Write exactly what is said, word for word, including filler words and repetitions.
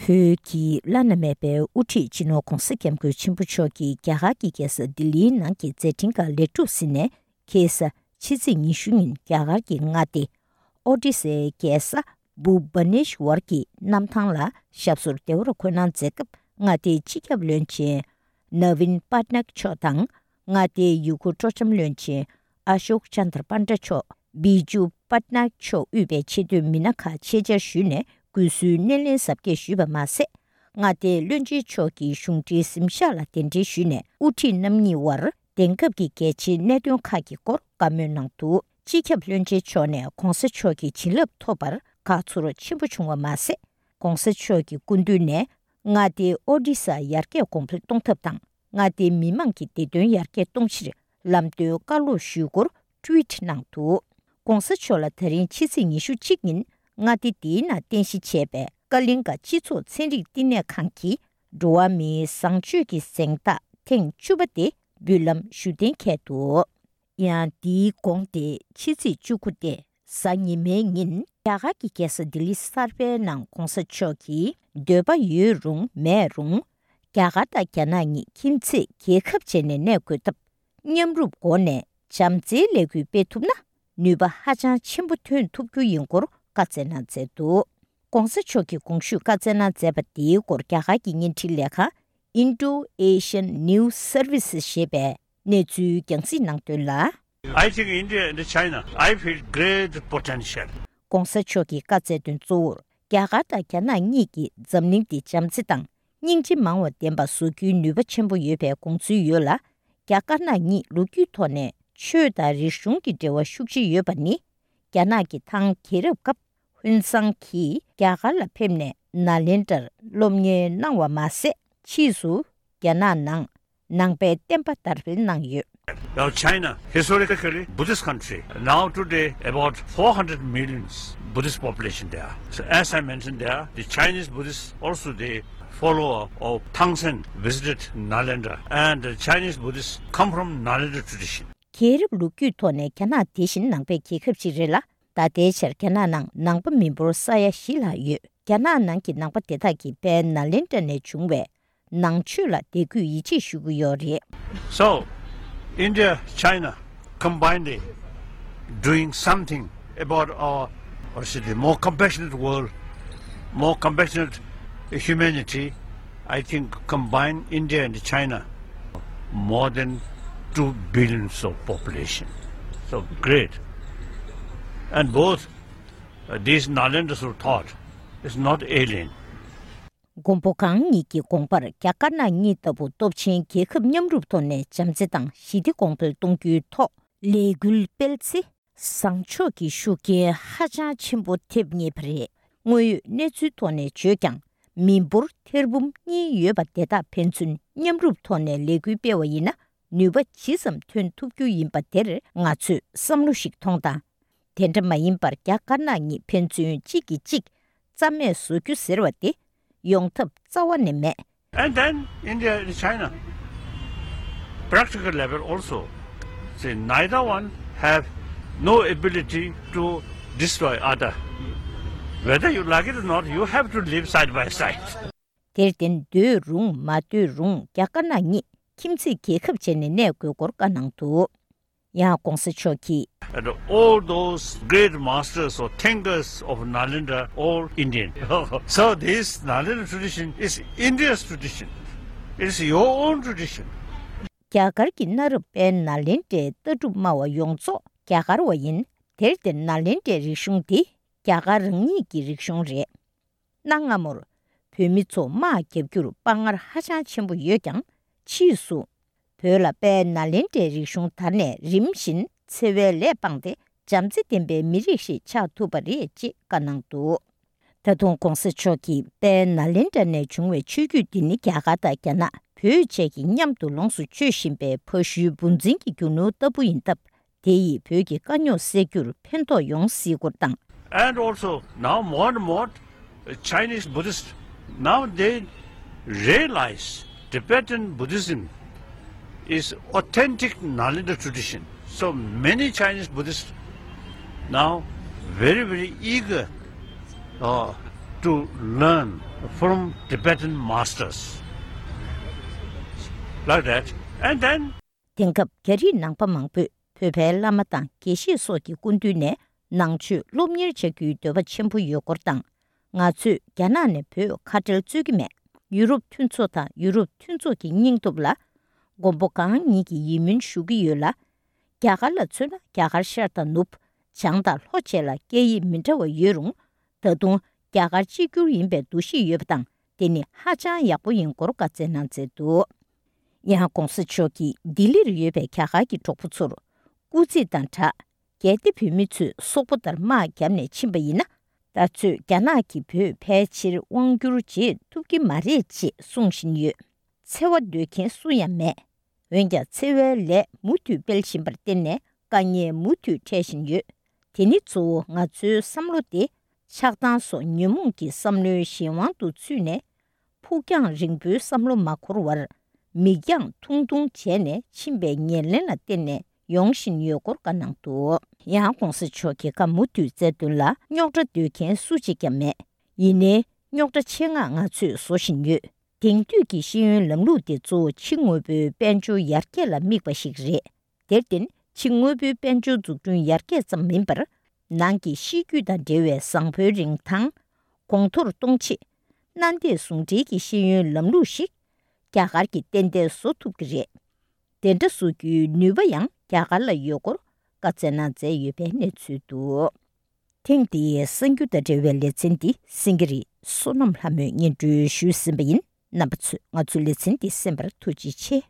བོད་ཀྱི་བླ་ན་མེད་པའི་དབུ་ཁྲིད་སྤྱི་ནོར་༧གོང་ས་༧སྐྱབས་མགོན་ཆེན་པོ་མཆོག་གིས་རྒྱ་གར་གྱི་རྒྱལ་ས་ལྡི་ལིའི་ནང་གི་མཛད་འཕྲིན་ཁག་ལེགས་གྲུབ་ཟིན་ནས། ཁ་སང་ཕྱི་ཚེས་ཉི་ཤུ་ཉིན་རྒྱ་གར་གྱི་མངའ་སྡེ་ཨོ་ཌི་སའི་རྒྱལ་ས་བྷུ་བ་ནེ་ཤྭར་གྱི་གནམ་ཐང་ལ་ཞབས་སོར་བདེ་བར་འཁོད་གནང་མཛད་སྐབས། མངའ་སྡེའི་སྤྱི་ཁྱབ་བློན་ཆེན་ནཱ་ཝིན་པཱ་ཏ་ནག་མཆོག་དང་། མངའ་སྡེའི་ཡུལ་སྐོར་སྤྲོ་འཆམ་བློན་ཆེན་ཨ་ཤོག་ཅན་དར་པཱ་ཏ་མཆོག་བི་ཇུ་པ་ཏ་ནག་མཆོག་དབུས་པའི་ཆེས་མཐོའི་མི་སྣ་ཁག་ཆེད་བཅར་ཞུས་ནས། སྐུ་གཟུགས་སྣེ་ལེན་གཟབ་རྒྱས་ཞུས་པ་མ་ཟད། མངའ་སྡེའི་བློན་ཆེན་མཆོག་གིས་གཞུང་འབྲེལ་གཟིམ་ཤག་ལ་གདན་འདྲེན་ཞུས་ནས། དབུ་ཁྲིད་རྣམ་གཉིས་དབར་དེང་སྐབས་ཀྱི་གལ་ཆེའི་གནད་དོན་ཁག་གི་སྐོར་བཀའ་མོལ་གནང་འདུག་སྤྱི་ཁྱབ་བློན་ཆེན་མཆོག་ནས་༧གོང་ས་མཆོག་གི་བྱིན་རླབས་ཐོབ་པར་དགའ་ཚོར་ཆེན་པོ་བྱུང་བ་མ་ཟད། ༧གོང་ས་མཆོག་གི་སྐུ་མདུན་ནས་མངའ་སྡེའི་ཨོ་ཌི་ས་ཡར་རྒྱས་གོང་འཕེལ་གཏོང་ཐབས་དང་། མངའ་སྡེའི་མི་མང་གི་བདེ་དོན་ཡར་རྒྱས་གཏོང་ཕྱིར་ལམ་སྟོན་བཀའ་སློབ་ཞུས་སྐོར་ཊུ་ཝིཊ་གནང་འདུག ༸གོང་ས་མཆོག་ལ་ད་རིང་ཕྱི་ཚེས་ཉི་ཤུ་གཅིག་ཉིན་མངའ་སྡེ་འདིའི་ནང་རྟེན་གཞི་བྱས་པའི་ཀ་ལིང་ག་སྤྱི་ཚོགས་ཚན་རིག་བསྟི་གནས་ཁང་གི་འགྲོ་བ་མིའི་བཟང་སྤྱོད་ཀྱི་གཟེངས་རྟགས་ཐེངས་བཅུ་པ་དེ་འབུལ་ལམ་ཞུ་གཏན་འཁེལ་འདུག་ཡང་འདིའི་གོང་སྟེ་ཕྱི་ཚེས་བཅུ་དགུ་སྟེ་གཟའ་ཉི་མའི་ཉིན་རྒྱ་གར་གྱི་རྒྱལ་ས་ལྡི་ལི་གསར་པའི་ནང་༸གོང་ས་མཆོག་གིས་འདོད་པ་ཡོད་རུང་མེད་རུང་། རྒྱ་གར་དང་རྒྱ་ནག་གཉིས་ཁྱིམ་མཚེས་རྒྱལ་ཁབ་བྱས་ནས་གནས་དགོས་སྟབས། མཉམ་རུབ་སྒོ་ནས་བྱམས་བརྩེའི་ལས་འགུལ་སྤེལ་ཐུབ་ན། ནུས་པ་ཧ་ཅང་ཆེན་པོ་ཐོན་ཐུབ་རྒྱུ་ཡིན་སྐོར་བཀའ་སྩལ་གནང་མཛད་འདུག ༸གོང་ས་མཆོག་གིས་གོང་ཞུས་བཀའ་སྩལ་གནང་མཛད་པ་དེའི་སྐོར་རྒྱ་གར་གྱི་བརྙན་འཕྲིན་ལས་ཁང་Indo Asian News Service ཞེས་པས་གནས་ཚུལ་རྒྱང་སྲིང་གནང་དོན་ལ། I think India and China, I feel great potential. ༸གོང་ས་མཆོག་གིས་བཀའ་སྩལ་དོན་གཙོ་བོར་རྒྱ་གར་དང་རྒྱ་ནག་གཉིས་ཀྱིས་འཛམ་གླིང་འདི་བྱམས་བརྩེ་དང་སྙིང་རྗེ་མང་བ་ལྡན་པ་བཟོ་རྒྱུའི་ནུས་པ་ཆེན་པོ་ཡོད་པའི་དགོངས་ཚུལ་ཡོད་ལ། རྒྱ་དཀར་ནག་གཉིས་ལོ་རྒྱུས་ཐོག་ནས་ཆོས་དང་རིག་གཞུང་གི་འབྲེལ་བ་ཤུགས་ཆེ་ཡོད་པ་ནི། རྒྱ་ནག་གི་ཐང་རྒྱལ་རབས་སྐབས་ཧུན་སང་གིས་རྒྱ་གར་ལ་ཕེབས་ནས་ནཱ་ལེནྡྲར་སློབ་གཉེར་གནང་བ་མ་ཟད། ཕྱིས་སུ་རྒྱ་ནག་ནང་ནང་པའི་བསྟན་པ་དར་སྤེལ་གནང་ཡོད། Well, China, historically Buddhist country, now today about four hundred millions Buddhist population there. So as I mentioned there, the Chinese Buddhists also they follower of Tang Sen visited Nalanda and the Chinese Buddhists come from Nalanda tradition. རྒྱལ་རབས་ལོ་རྒྱུས་ཐོག་ནས་རྒྱ་ནག་དེ་བཞིན་ནང་པའི་རྒྱལ་ཁབ་ཅིག་རེད་ལ། ད་ལྟའི་ཆར་རྒྱ་ནག་ནང་ནང་པ་མི་འབོར་ས་ཡ་བཞི་ལྷག་ཡོད། རྒྱ་ནག་ནང་གི་ནང་པ་དེ་དག་གིས་དཔལ་ནཱ་ལེནྡྲ་ནས་བྱུང་བའི་ནང་ཆོས་ལ་དད་གུས་ཡིད་ཆེས་ཞུ་གི་ཡོད་རེད། So, India, China combinedly doing something about our, our city, more compassionate world, more compassionate humanity. I think combined India and China, more than two billions of population. So great. And both, uh, these Nalendra's thought is not alien. མགོན་པོ་གང་ཉིད་ཀྱི་དགོངས་པར་རྒྱ་དཀར་ནག་གཉིས་ལྟ་བུ་སྟོབས་ཆེན་རྒྱལ་ཁབ་མཉམ་རུབ་ཐོག་ནས་བྱམས་བརྩེ་དང་ཞི་བདེ་གོང་འཕེལ་གཏོང་རྒྱུའི་ཐོག་ལས་འགུལ་སྤེལ་ཚེ། བཟང་ཕྱོགས་ཀྱི་ཤུགས་རྐྱེན་ཧ་ཅང་ཆེན་པོ་ཐེབས་ངེས་པ་རེད། དངོས་ཡོད་གནས་ཚུལ་ཐོག་ནས་བརྗོད་ཀྱང་། མི་འབོར་ཐེར་འབུམ་གཉིས་ཡོད་པ་དེ་དག་ཕན་ཚུན་མཉམ་རུབ་ཐོག་ནས་ལས་འགུལ་སྤེལ་བ་ཡིན་ན། ནུས་པ་ཇི་ཙམ་ཐོན་ཐུབ་རྒྱུ་ཡིན་པ་དེར་ང་ཚོས་བསམ་བློ་ཞིག་ཐོངས་དང་། དེ་འདྲ་མ་ཡིན་པར་རྒྱ་དཀར་ནག་གཉིས་ཕན་ཚུན་གཅིག་གིས་གཅིག་རྩ་མེད་བཟོ་རྒྱུ་ཟེར་བ་དེ་ཡོང་ཐབས་རྩ་བ་ནས་མེད། And then India and China, practical level also, say neither one have no ability to destroy other. Whether you like it or not, you have to live side by side. དེར་བརྟེན་འདོད་རུང་མ་འདོད་རུང་རྒྱ་དཀར་ནག་གཉིས་ཁྱིམ་མཚེས་རྒྱལ་ཁབ་བྱས་ནས་གནས་དགོས་སྐོར་བཀའ་གནང་འདུག་ཡང་༸གོང་ས་མཆོག་གིས། And all those great masters or thinkers of Nalanda, all Indian. So this Nalanda tradition is India's tradition. It's your own tradition. རྒྱ་གར་གྱི་གནའ་རབས་དཔལ་ནཱ་ལེནྡྲའི་ལྟ་གྲུབ་སྨྲ་བ་ཡོངས་རྫོགས་རྒྱ་གར་བ་ཡིན། དེར་བརྟེན་ནཱ་ལེནྡྲའི་རིག་གཞུང་འདི་རྒྱ་གར་རང་ཉིད་ཀྱི་རིག་གཞུང་རེད། གནའ་སྔ་མོར་བོད་མི་ཚོ་དམག་རྒྱག་རྒྱུར་དཔའ་ངར་ཧ་ཅང་ཆེན་པོ་ཡོད་ཀྱང་། ཕྱིས་སུ་བོད་ལ་དཔལ་ནཱ་ལེནྡྲའི་རིག་གཞུང་དར་ནས་རིམ་བཞིན་འཚེ་བའི་ལས་སྤངས་ཏེ། བྱམས་བརྩེ་ལྡན་པའི་མི་རིགས་ཤིག་ཆགས་ཐུབ་པ་རེད་ཅེས་བཀའ་གནང་འདུག་ད་དུང་༸གོང་ས་མཆོག་གིས་དཔལ་ནཱ་ལེནྡྲ་ནས་བྱུང་བའི་ཆོས་བརྒྱུད་འདི་ནི་རྒྱ་གར་དང་རྒྱ་ནག་བོད་བཅས་ཀྱིས་མཉམ་དུ་ལོངས་སུ་སྤྱོད་བཞིན་པའི་ཕ་ཤུལ་བུ་འཛིན་གྱི་རྒྱུ་ནོར་ལྟ་བུ་ཡིན་སྟབས། དེ་ཡིས་བོད་ཀྱི་དཀའ་རྙོག་སེལ་རྒྱུར་ཕན་ཐོགས་ཡོང་སྲིད་སྐོར་དང་། And also now more and more, uh, Chinese Buddhists, now they realize Tibetan Buddhism is authentic Nalanda tradition. So many Chinese Buddhists now very, very eager, uh, to learn from Tibetan masters. Like that. And then དེང་སྐབས་རྒྱ་རིགས་ནང་པ་མང་པོས་བོད་པའི་བླ་མ་དང་དགེ་བཤེས་སོགས་ཀྱི་སྐུ་མདུན་ནས་ནང་ཆོས་སློབ་གཉེར་བྱ་རྒྱུའི་འདོད་པ་ཆེན་པོ་ཡོད་སྐོར་དང་། ང་ཚོས་རྒྱ་ནག་ནས་བོད་ཁ་བྲལ་རྩོད་ཀྱི་མེད། ཡུ་རོབ་མཐུན་ཚོགས་དང་ཡུ་རོབ་མཐུན་ཚོགས་ཀྱི་སྙིང་སྟོབས་ལ་མགོན་པོ་གང་ཉིད་ཀྱི་ཡིད་སྨོན་ཞུ་གི་ཡོད་ལ། རྒྱ་གར་ལ་མཚོན་ན་རྒྱ་གར་ཤར་དང་ནུབ། བྱང་དང་ལྷོ་བཅས་ལ་སྐད་ཡིག་མི་འདྲ་བ་ཡོད་རུང་། ད་དུང་རྒྱ་གར་གཅིག་གྱུར་ཡིན་པའི་འདུ་ཤེས་ཡོད་པ་དང་། དེ་ནི་ཧ་ཅང་ཡག་པོ་ཡིན་སྐོར་བཀའ་སྩལ་གནང་མཛད་འདུག་ཡང་ྋགོང་ས་མཆོག་གིས་ལྡི་ལིར་ཡོད་པའི་རྒྱ་གར་གྱི་གྲོགས་པོ་ཚོར་སྐུ་རྩེད་དང་སྦྲགས། གལ་ཏེ་བོད་མི་ཚོས་སོག་པོ་ལྟར་དམག་བརྒྱབ་ནས་ཕྱིན་པ་ཡིན་ན། ད་ཚོད་རྒྱ་ནག་གིས་བོད་ཕལ་ཆེར་དབང་བསྒྱུར་བྱེད་ཐུབ་ཀྱི་མ་རེད་ཅེས་གསུང་བཞིན་ཡོད། འཚེ་བ་འདོད་མཁན་སུ་ཡང་མེད། འོན་ཀྱང་འཚེ་བའི་ལས་མུ་མཐུད་སྤེལ་བཞིན་པར་བརྟེན་ནས་དཀའ་ངལ་མུ་མཐུད་འཕྲད་བཞིན་ཡོད། དེ་ནི་གཙོ་བོ་ང་ཚོའི་བསམ་བློ་དེ་ཆགས་སྡང་སོགས་ཉོན་མོངས་ཀྱི་བསམ་བློའི་གཞན་དབང་དུ་ཚུད་ནས། ཕུགས་རྒྱང་རིང་པོའི་བསམ་བློ་མ་འཁོར་བར། མིག་རྒྱང་ཐུང་ཐུང་བྱས་ནས་ཕྱིན་པའི་ཉེར་ལེན་ལ་བརྟེན་ནས་ཡོང་བཞིན་ཡོད་སྐོར་བཀའ་གནང་འདུག་ཡང་་ྋགོང་ས་མཆོག་གིས་བཀའ་མུ་མཐུད་སྩལ་དོན་ལ། རྙོག་དྲ་འདོད་མཁན་སུ་གཅིག་ཀྱང་མེད། ཡིན་ནའི་རྙོག་དྲ་ཆེད་མངགས་ང་ཚོས་བཟོ་བཞིན་ཡོད། དེང་དུས་ཀྱི་ཤེས་ཡོན་ལམ་ལུགས་དེ་གཙོ་བོ་ཕྱི་དངོས་པོའི་དཔལ་འབྱོར་ཡར་རྒྱས་ལ་དམིགས་པ་ཞིག་རེད། དེར་བརྟེན་ཕྱི་དངོས་པོའི་དཔལ་འབྱོར་འཛུགས་སྐྲུན་ཡར་རྒྱས་ཙམ་མིན་པར། ནང་གི་གཤིས་རྒྱུད་དང་འབྲེལ་བའི་བཟང་པོའི་རིན་ཐང་གོང་མཐོར་གཏོང་ཆེད། གནའ་དེང་ཟུང་འབྲེལ་གྱི་ཤེས་ཡོན་ལམ་ལུགས་ཤིག་རྒྱ་གར་གྱིས་ཏན་ཏན་བཟོ་ཐུབ་ཀྱི་རེད། དེ་འདྲ་བཟོ་རྒྱུའི་ནུས་པ་ཡང་རྒྱ་གར་ལ་ཡོད་སྐོར་བཀའ་སྩལ་གནང་མཛད་ཡོད་པའི་གནས་ཚུལ་འདུག་ཐེངས་འདིའི་གསར་འགྱུར་དང་འབྲེལ་བའི་ལེ་ཚན་འདི་སེང་གེ་རི་བསོད་ནམས་ལྷ་མོས་སྙན་སྒྲོན་ཞུས་ཟིན་པ་ཡིན། རྣམ་པ་ཚོས་ང་ཚོའི་ལེ་ཚན་འདི་གསན་པར་ཐུགས་རྗེ་ཆེ།